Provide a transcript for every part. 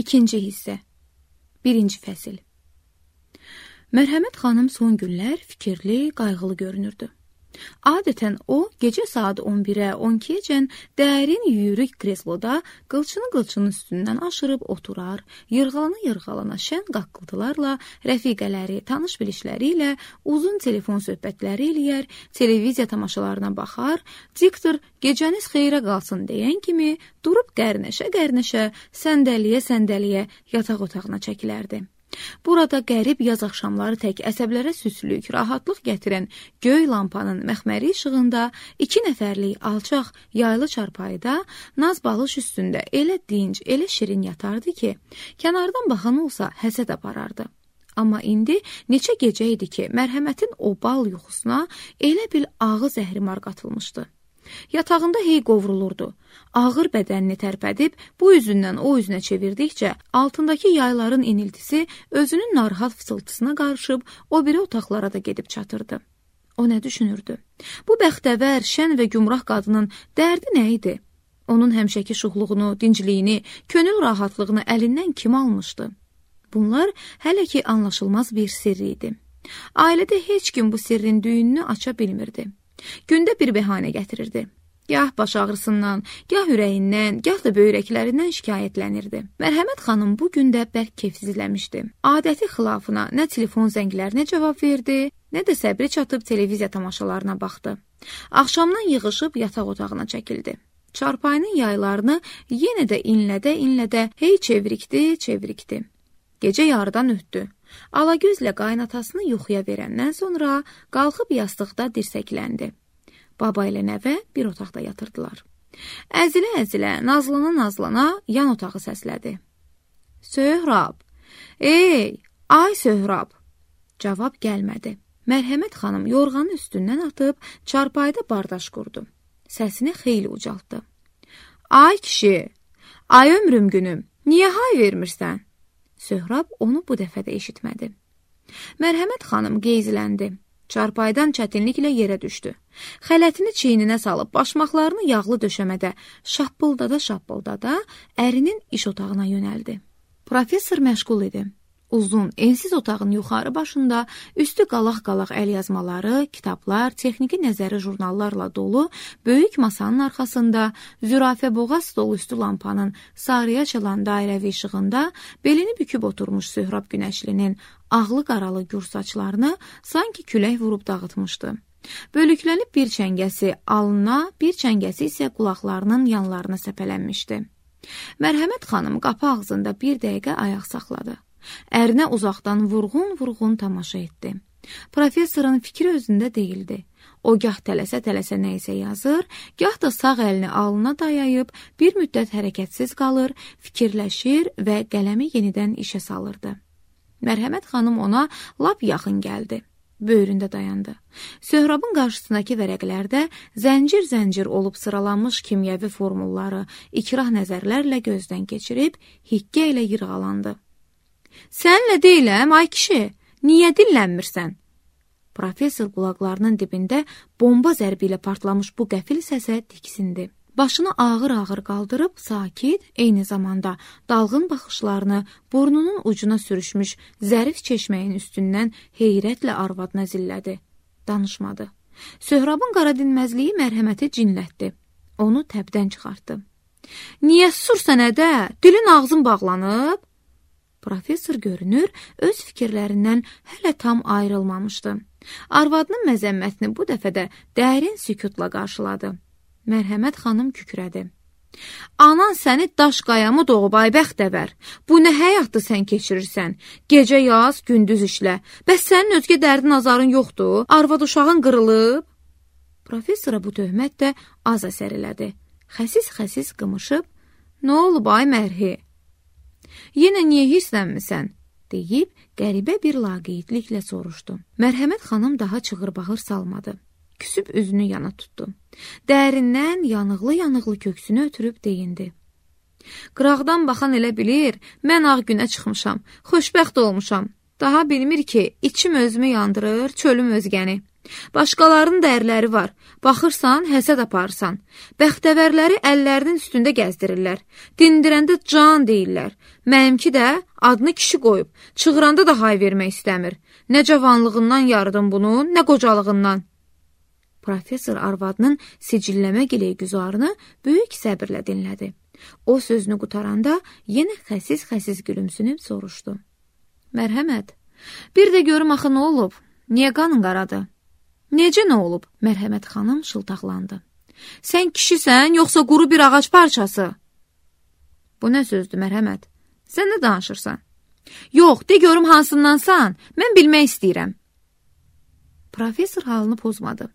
İkinci hissə. Birinci fəsil. Mərhəmət xanım son günlər fikirli, qayğılı görünürdü. Adətən o, gecə saat 11-ə, 12-əcən dərin yüyürük kresloda qılçının üstündən aşırıb oturar, yırğalana şən qaqqıltılarla rəfiqələri, tanış bilişləri ilə uzun telefon söhbətləri eləyər, televiziya tamaşalarına baxar, diktor gecəniz xeyrə qalsın deyən kimi durub qərnəşə, səndəliyə yataq otağına çəkilərdi. Burada qərib yaz axşamları tək əsəblərə süslük, rahatlıq gətirən göy lampanın məxməri işığında 2 nəfərlik alçaq yaylı çarpayıda naz balış üstündə elə dinc, elə şirin yatardı ki, kənardan baxan olsa həsəd aparardı. Amma indi neçə gecə idi ki, mərhəmətin o bal yuxusuna elə bil ağı zəhrimar qatılmışdı. Yatağında hey qovrulurdu. Ağır bədənini tərpədib, bu üzündən o üzünə çevirdikcə, altındakı yayların iniltisi özünün narahat fısıltısına qarışıb, o biri otaqlara da gedib çatırdı. O nə düşünürdü? Bu bəxtəvər, şən və gümrah qadının dərdi nə idi? Onun həmişəki şuxluğunu, dincliyini, könül rahatlığını əlindən kim almışdı? Bunlar hələ ki anlaşılmaz bir sirri idi. Ailədə heç kim bu sirrin düyününü aça bilmirdi. Gündə bir bəhanə gətirirdi. Gah baş ağrısından, gah ürəyindən, gah da böyrəklərindən şikayətlənirdi. Mərhəmət xanım bu gündə bərk keyfsizləmişdi. Adəti xilafına nə telefon zənglərinə cavab verdi, nə də səbri çatıb televiziya tamaşalarına baxdı. Axşamdan yığışıb yataq otağına çəkildi. Çarpayının yaylarını yenə də inlədə hey çevirikdi. Gecə yarıdan ötdü. Alagözlə qaynatasını yuxuya verəndən sonra qalxıb yastıqda dirsəkləndi. Baba ilə nəvə bir otaqda yatırdılar. Əzilə, nazlana yan otağı səslədi. Söhrab, ay Söhrab. Cavab gəlmədi. Mərhəmət xanım yorğanın üstündən atıb çarpayda bardaş qurdu. Səsini xeyli ucaltdı. Ay kişi, ay ömrüm günüm, niyə hay vermirsən? Söhrab onu bu dəfə də eşitmədi. Mərhəmət xanım qeyzləndi. Çarpaydan çətinliklə yerə düşdü. Xələtini çiyninə salıb başmaqlarını yağlı döşəmədə şappıldada ərinin iş otağına yönəldi. Professor məşğul idi. Uzun, ensiz otağın yuxarı başında üstü qalaq-qalaq əlyazmaları, kitablar, texniki nəzəri jurnallarla dolu böyük masanın arxasında zürafə boğaz stol üstü lampanın sarıya çalan dairəvi işığında belini büküb oturmuş Söhrab Günəşlinin ağlı qaralı gür saçlarını sanki külək vurub dağıtmışdı. Bölüklənib bir çəngəsi alnına, bir çəngəsi isə qulaqlarının yanlarına səpələnmişdi. Mərhəmət xanım qapı ağzında bir dəqiqə ayaq saxladı. Ərinə uzaqdan vurğun tamaşa etdi. Professorun fikri özündə deyildi. O gah tələsə nə isə yazır, gah da sağ əlini alnına dayayıb bir müddət hərəkətsiz qalır, fikirləşir və qələmi yenidən işə salırdı. Mərhəmət xanım ona lap yaxın gəldi. Böyründə dayandı. Söhrabın qarşısındakı vərəqlərdə zəncir olub sıralanmış kimyəvi formulları ikrah nəzərlərlə gözdən keçirib, hiqqə ilə yırğalandı. Sənlə deyiləm, ay kişi, niyə dillənmirsən? Professor qulaqlarının dibində bomba zərbi ilə partlamış bu qəfil səsə diksindi. Başını ağır qaldırıb, sakit, eyni zamanda dalğın baxışlarını burnunun ucuna sürüşmüş zərif çeşməyin üstündən heyrətlə arvadına zillədi. Danışmadı. Söhrabın qaradinməzliyi mərhəməti cinlətdi. Onu təbdən çıxartdı. Niyə susursan ədə? Dilin ağzın bağlanıb? Professor görünür, öz fikirlərindən hələ tam ayrılmamışdı. Arvadının məzəmmətini bu dəfə də dərin sükutla qarşıladı. Mərhəmət xanım kükrədi. Anan səni daş qayamı doğub ay bəxtəvər. Bu nə həyatdır sən keçirirsən? Gecə yaz, gündüz işlə. Bəs sənin özgə dərdin azarın yoxdur? Arvad uşağın qırılıb? Professora bu töhmət də az əsər elədi. Xəsis qımışıb, nə olub ay mərhi? Yenə niyə hirslənmisən? Deyib, qəribə bir laqeydliklə soruşdu. Mərhəmət xanım daha çığır-bağır salmadı. Küsüb üzünü yana tutdu. Dərindən yanıqlı köksünü ötürüb deyindi. Qıraqdan baxan elə bilir, mən ağ günə çıxmışam, xoşbəxt olmuşam. Daha bilmir ki, içim özümü yandırır, çölüm özgəni. Başqalarının dərləri var. Baxırsan, həsəd aparırsan. Bəxtəvərləri əllərinin üstündə gəzdirirlər. Dindirəndə can deyirlər. Mənimki də adını kişi qoyub. Çığıranda da hay vermək istəmir. Nə cavanlığından yarıdım bunu, nə qocalığından. Professor arvadının sicilləmə gileygüzarını böyük səbirlə dinlədi. O sözünü qutaranda yenə xəsis-xəsis gülümsünüb soruşdu. Mərhəmət, bir də görüm axı nə olub? Niyə qanın qaradı? Necə nə olub? Mərhəmət xanım şıltaqlandı. Sən kişisən, yoxsa quru bir ağac parçası? Bu nə sözdür, Mərhəmət? Sən nə danışırsan? Yox, de görüm hansındansan, mən bilmək istəyirəm. Professor halını pozmadı.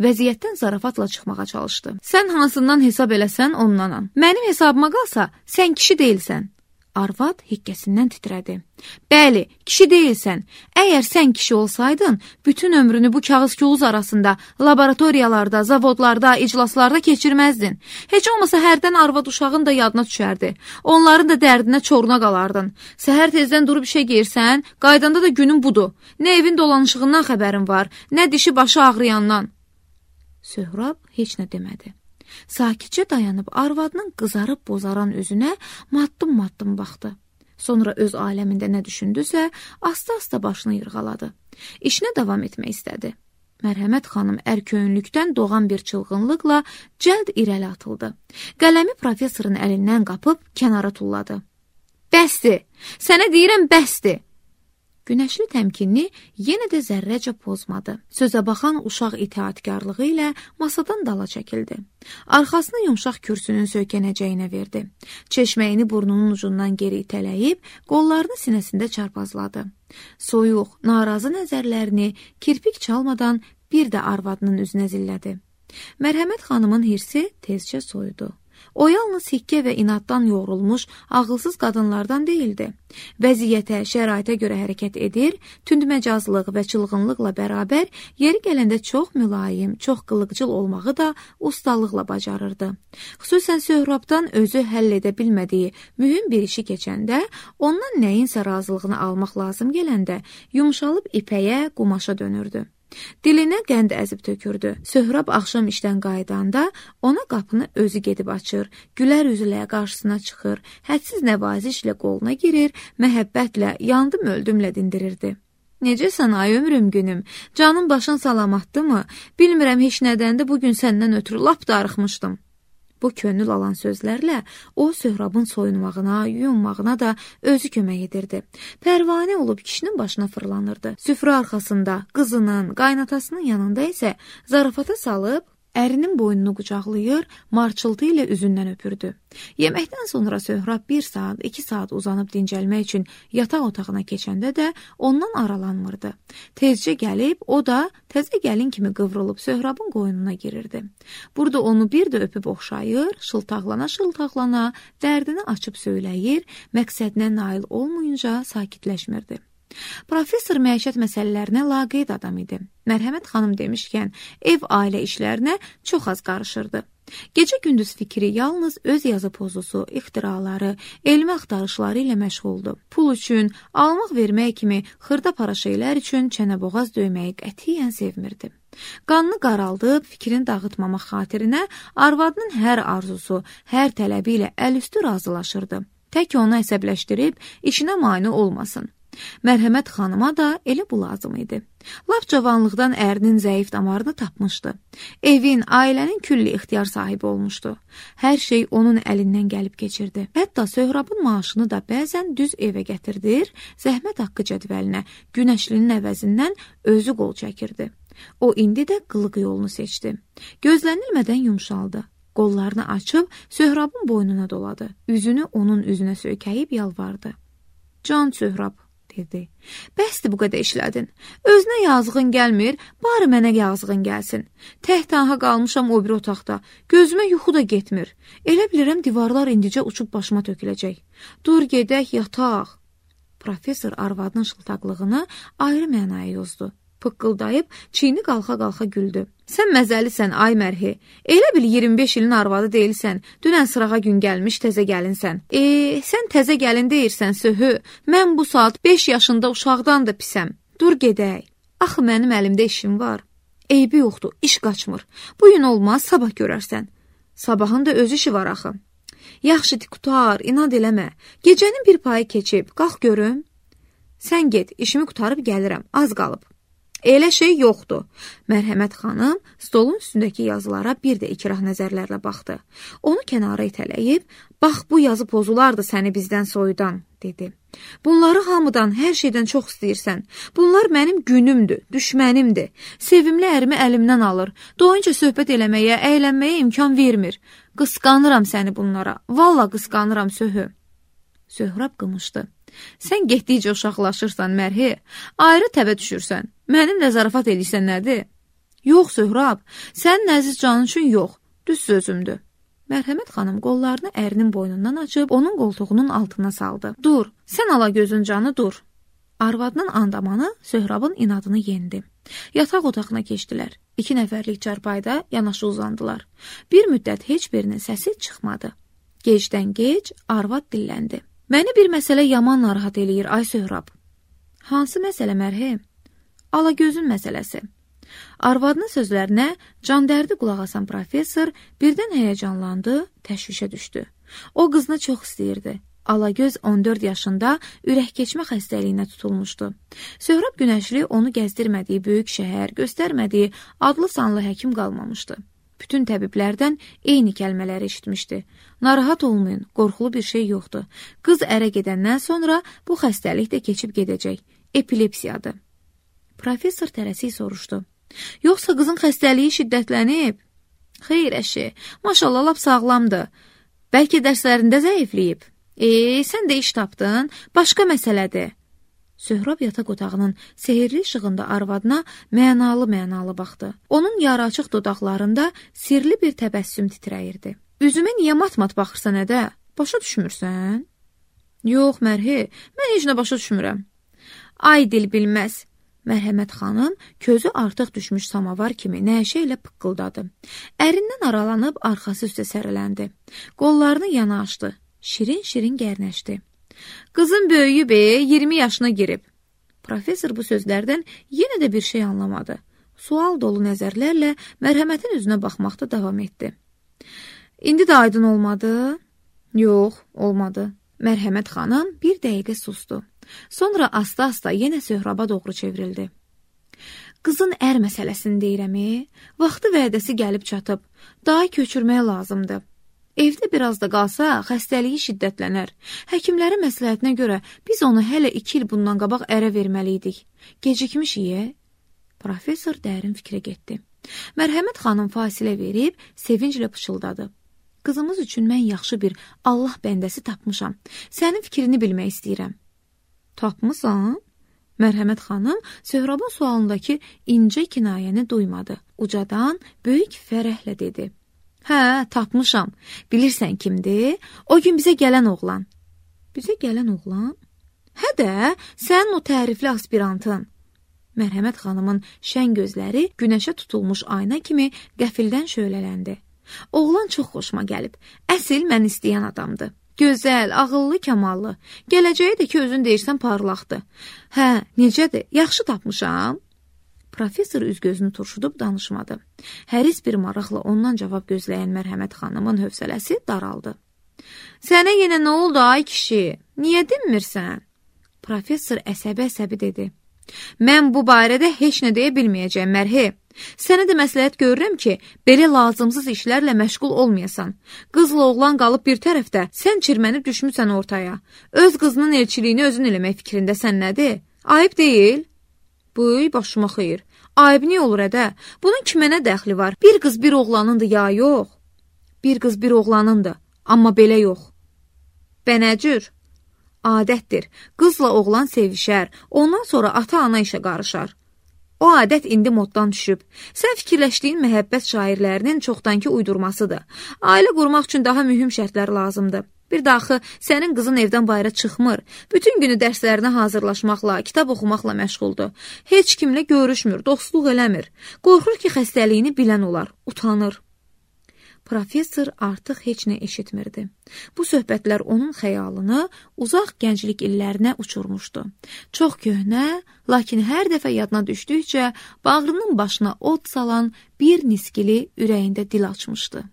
Vəziyyətdən zarafatla çıxmağa çalışdı. Sən hansından hesab eləsən ondanam. Mənim hesabıma qalsa, sən kişi deyilsən. Arvad hikkəsindən titrədi. Bəli, kişi deyilsən. Əgər sən kişi olsaydın, bütün ömrünü bu kağız-kağız arasında, laboratoriyalarda, zavodlarda, iclaslarda keçirməzdin. Heç olmasa hərdən arvad uşağın da yadına düşərdi. Onların da dərdinə çoruna qalardın. Səhər tezdən durub işə geyirsən, qaydanda da günün budur. Nə evin dolanışığından xəbərin var, nə dişi başı ağrıyandan. Söhrab heç nə demədi. Sakitcə dayanıb arvadının qızarıb bozaran üzünə maddım-maddım baxdı. Sonra öz aləmində nə düşündüsə, asta-asta başını yırğaladı. İşinə davam etmək istədi. Mərhəmət xanım ərköyünlükdən doğan bir çılğınlıqla cəld irəli atıldı. Qələmi professorun əlindən qapıb kənara tulladı. Bəsdir! Sənə deyirəm, bəsdir! Günəşli təmkinini yenə də zərrəcə pozmadı. Sözə baxan uşaq itaatkarlığı ilə masadan dala çəkildi. Arxasını yumşaq kürsünün söykənəcəyinə verdi. Çeşməyini burnunun ucundan geri itələyib, qollarını sinəsində çarpazladı. Soyuq, narazı nəzərlərini kirpik çalmadan bir də arvadının üzünə zillədi. Mərhəmət xanımın hirsi tezcə soyudu. O yalnız hikkə və inaddan yoğrulmuş, ağılsız qadınlardan deyildi. Vəziyyətə, şəraitə görə hərəkət edir, tündməcazlıq və çılğınlıqla bərabər yeri gələndə çox mülayim, çox qılıqcıl olmağı da ustalıqla bacarırdı. Xüsusən Söhrabdan özü həll edə bilmədiyi mühüm bir işi keçəndə, ondan nəyinsə razılığını almaq lazım gələndə yumşalıb ipəyə, qumaşa dönürdü. Dilinə qənd əzib tökürdü. Söhrab axşam işdən qayıdanda ona qapını özü gedib açır, gülər üzülə qarşısına çıxır, hədsiz nəvazişlə qoluna girir, məhəbbətlə, yandım öldümlə dindirirdi. Necəsən ay ömrüm günüm, canın başın salamatdımı? Bilmirəm heç nədəndir bugün səndən ötürü lap darıxmışdım. Bu könül alan sözlərlə o Söhrabın soyunmağına, yuyunmağına da özü kömək edirdi. Pərvanə olub kişinin başına fırlanırdı. Süfrə arxasında qızının, qaynatasının yanında isə zarafata salıb ərinin boynunu qucaqlayır, marçıltı ilə üzündən öpürdü. Yeməkdən sonra Söhrab 1 saat, 2 saat uzanıb dincəlmək üçün yataq otağına keçəndə də ondan aralanmırdı. Tezcə gəlib, o da təzə gəlin kimi qıvrılıb Söhrabın qoynuna girirdi. Burada onu bir də öpüb oxşayır, şıltaqlana-şıltaqlana dərdini açıb söyləyir, məqsədinə nail olmayınca sakitləşmirdi. Professor məişət məsələlərinə laqeyd adam idi. Mərhəmət xanım demişkən, ev-ailə işlərinə çox az qarışırdı. Gecə-gündüz fikri yalnız öz yazı pozusu, ixtiraları, elmi axtarışları ilə məşğuldu. Pul üçün, almaq-vermək kimi xırda-para şeylər üçün çənəboğaz döyməyi qətiyyən sevmirdi. Qanını qaraldıb, fikrini dağıtmamaq xatirinə arvadının hər arzusu, hər tələbi ilə əlüstü razılaşırdı. Tək onu əsəbləşdirib, işinə mane olmasın. Mərhəmət xanıma da elə bu lazım idi. Lap cavanlıqdan ərinin zəif damarını tapmışdı. Evin, ailənin külli ixtiyar sahibi olmuşdu. Hər şey onun əlindən gəlib keçirdi. Hətta Söhrabın maaşını da bəzən düz evə gətirdir, zəhmət haqqı cədvəlinə, günəşlinin əvəzindən özü qol çəkirdi. O indi də qılıq yolunu seçdi. Gözlənilmədən yumşaldı. Qollarını açıb Söhrabın boynuna doladı. Üzünü onun üzünə söykəyib yalvardı. Can Söhrab, dedi. Bəsdir bu qədər işlədin. Özünə yazığın gəlmir, bari mənə yazığın gəlsin. Təhtaha qalmışam o bir otaqda. Gözümə yuxu da getmir. Elə bilirəm divarlar indicə uçub başıma töküləcək. Dur gedək, yataq. Professor arvadının şıltaqlığını ayrı mənaya yozdu. Pıqqıldayıb, çiyini qalxa-qalxa güldü. Sən məzəlisən, ay mərhi. Elə bil 25 ilin arvadı deyilsən, dünən sırağa gün gəlmiş təzə gəlinsən. Sən təzə gəlin deyirsən, söhü. Mən bu saat 5 yaşında uşaqdan da pisəm. Dur gedək. Axı mənim əlimdə işim var. Eybi yoxdur, iş qaçmır. Bu gün olmaz, sabah görərsən. Sabahın da öz işi var axı. Yaxşı, qutar, inad eləmə. Gecənin bir payı keçib, qalx görüm. Sən get, işimi qutarıb gəlirəm, az qalıb. Elə şey yoxdur. Mərhəmət xanım stolun üstündəki yazılara bir də ikrah nəzərlərlə baxdı. Onu kənara itələyib, bax bu yazı pozulardı səni bizdən soyudan, dedi. Bunları hamıdan, hər şeydən çox istəyirsən. Bunlar mənim günümdür, düşmənimdir. Sevimli ərimi əlimdən alır. Doyunca söhbət eləməyə, əylənməyə imkan vermir. Qısqanıram səni bunlara. Valla qısqanıram Söhü. Söhrab qımışdı. Sən getdikcə uşaqlaşırsan, Mərhi. Ayrı təvə düşürsən. Mənimlə zarafat edirsən nədir? Yox, Söhrab, sənin əziz canın üçün yox. Düz sözümdür. Mərhəmət xanım qollarını ərinin boynundan açıb, onun qoltuğunun altına saldı. Dur, sən ala gözün canı, dur. Arvadının andamanı Söhrabın inadını yendi. Yataq otağına keçdilər. 2 nəfərlik çarpayda yanaşı uzandılar. Bir müddət heç birinin səsi çıxmadı. Gecdən gec arvad dilləndi. Məni bir məsələ yaman narahat eləyir, ay Söhrab. Hansı məsələ, Mərhəm? Alagözün məsələsi. Arvadının sözlərinə candərdi qulaq asan professor birdən həyəcanlandı, təşvişə düşdü. O qızını çox istəyirdi. Alagöz 14 yaşında ürək keçmə xəstəliyinə tutulmuşdu. Söhrab Günəşli onu gəzdirmədiyi böyük şəhər, göstərmədiyi adlı sanlı həkim qalmamışdı. Bütün təbiblərdən eyni kəlmələri eşitmişdi. Narahat olmayın, qorxulu bir şey yoxdur. Qız ərə gedəndən sonra bu xəstəlik də keçib gedəcək. Epilepsiyadır. Professor tələsik soruşdu. Yoxsa qızın xəstəliyi şiddətlənib? Xeyr əşi, maşallah lap sağlamdır. Bəlkə dərslərində zəifləyib. Sən də iş tapdın, başqa məsələdir. Söhrab yataq otağının sehirli işığında arvadına mənalı baxdı. Onun yarı açıq dodaqlarında sirli bir təbəssüm titrəyirdi. Üzümə niyə mat-mat baxırsan ədə? Başa düşmürsən? Yox, Mərhi, mən heç nə başa düşmürəm. Ay dil bilməz. Mərhəmət xanım közü artıq düşmüş samavar kimi nəşə ilə pıqqıldadı. Ərindən aralanıb arxası üstə səriləndi. Qollarını yana açdı. Şirin-şirin gərnəşdi. Qızın böyüyüb, 20 yaşına girib. Professor bu sözlərdən yenə də bir şey anlamadı. Sual dolu nəzərlərlə mərhəmətin üzünə baxmaqda davam etdi. İndi də aydın olmadı? Yox, olmadı. Mərhəmət xanım bir dəqiqə susdu. Sonra asta-asta yenə Söhraba doğru çevrildi. Qızın ər məsələsini deyirəmi? Vaxtı vədəsi gəlib çatıb. Daha köçürməyə lazımdır. Evdə biraz da qalsa, xəstəliyi şiddətlənər. Həkimlərin məsləhətinə görə biz onu hələ 2 il bundan qabaq ərə verməliydik. Gecikmişik, Professor dərin fikrə getdi. Mərhəmət xanım fasilə verib, sevinclə pıçıldadı. Qızımız üçün mən yaxşı bir Allah bəndəsi tapmışam. Sənin fikrini bilmək istəyirəm. Tapmısan? Mərhəmət xanım Söhrabın sualındakı incə kinayəni duymadı. Ucadan böyük fərəhlə dedi. Hə, tapmışam. Bilirsən kimdir? O gün bizə gələn oğlan. Bizə gələn oğlan? Hə də, sənin o tərifli aspirantın. Mərhəmət xanımın şən gözləri günəşə tutulmuş ayna kimi qəfildən şölələndi. Oğlan çox xoşuma gəlib. Əsil mən istəyən adamdır. Gözəl, ağıllı, kamallı. Gələcəyi də ki, özün deyirsən parlaqdır. Hə, necədir? Yaxşı tapmışam. Professor üz-gözünü turşudub danışmadı. Həris bir maraqla ondan cavab gözləyən Mərhəmət xanımın hövsələsi daraldı. Sənə yenə nə oldu ay kişi? Niyə dinmirsən? Professor əsəbi dedi. Mən bu barədə heç nə deyə bilməyəcəm, Mərhi. Sənə də məsləhət görürəm ki, belə lazımsız işlərlə məşğul olmayasan. Qızla oğlan qalıb bir tərəfdə, sən çirmənib düşmüsən ortaya. Öz qızının elçiliyini özün eləmək fikrindəsən nədir? Ayıb deyil? Bıy, başıma xeyir. Ayıb niyə olur ədə? Bunun kimə nə dəxli var? Bir qız bir oğlanındır ya yox? Bir qız bir oğlanındır, amma belə yox. Bənəcür? Adətdir. Qızla oğlan sevişər, ondan sonra ata-ana işə qarışar. O adət indi moddan düşüb. Sən fikirləşdiyin məhəbbət şairlərinin çoxdankı uydurmasıdır. Ailə qurmaq üçün daha mühüm şərtlər lazımdır. Bir daxı sənin qızın evdən bayıra çıxmır. Bütün günü dərslərinə hazırlaşmaqla, kitab oxumaqla məşğuldur. Heç kimlə görüşmür, dostluq eləmir. Qorxur ki, xəstəliyini bilən olar, utanır. professor artıq heç nə eşitmirdi. Bu söhbətlər onun xəyalını uzaq gənclik illərinə uçurmuşdu. Çox köhnə, lakin hər dəfə yadına düşdükcə bağrının başına od salan bir niskili ürəyində dil açmışdı.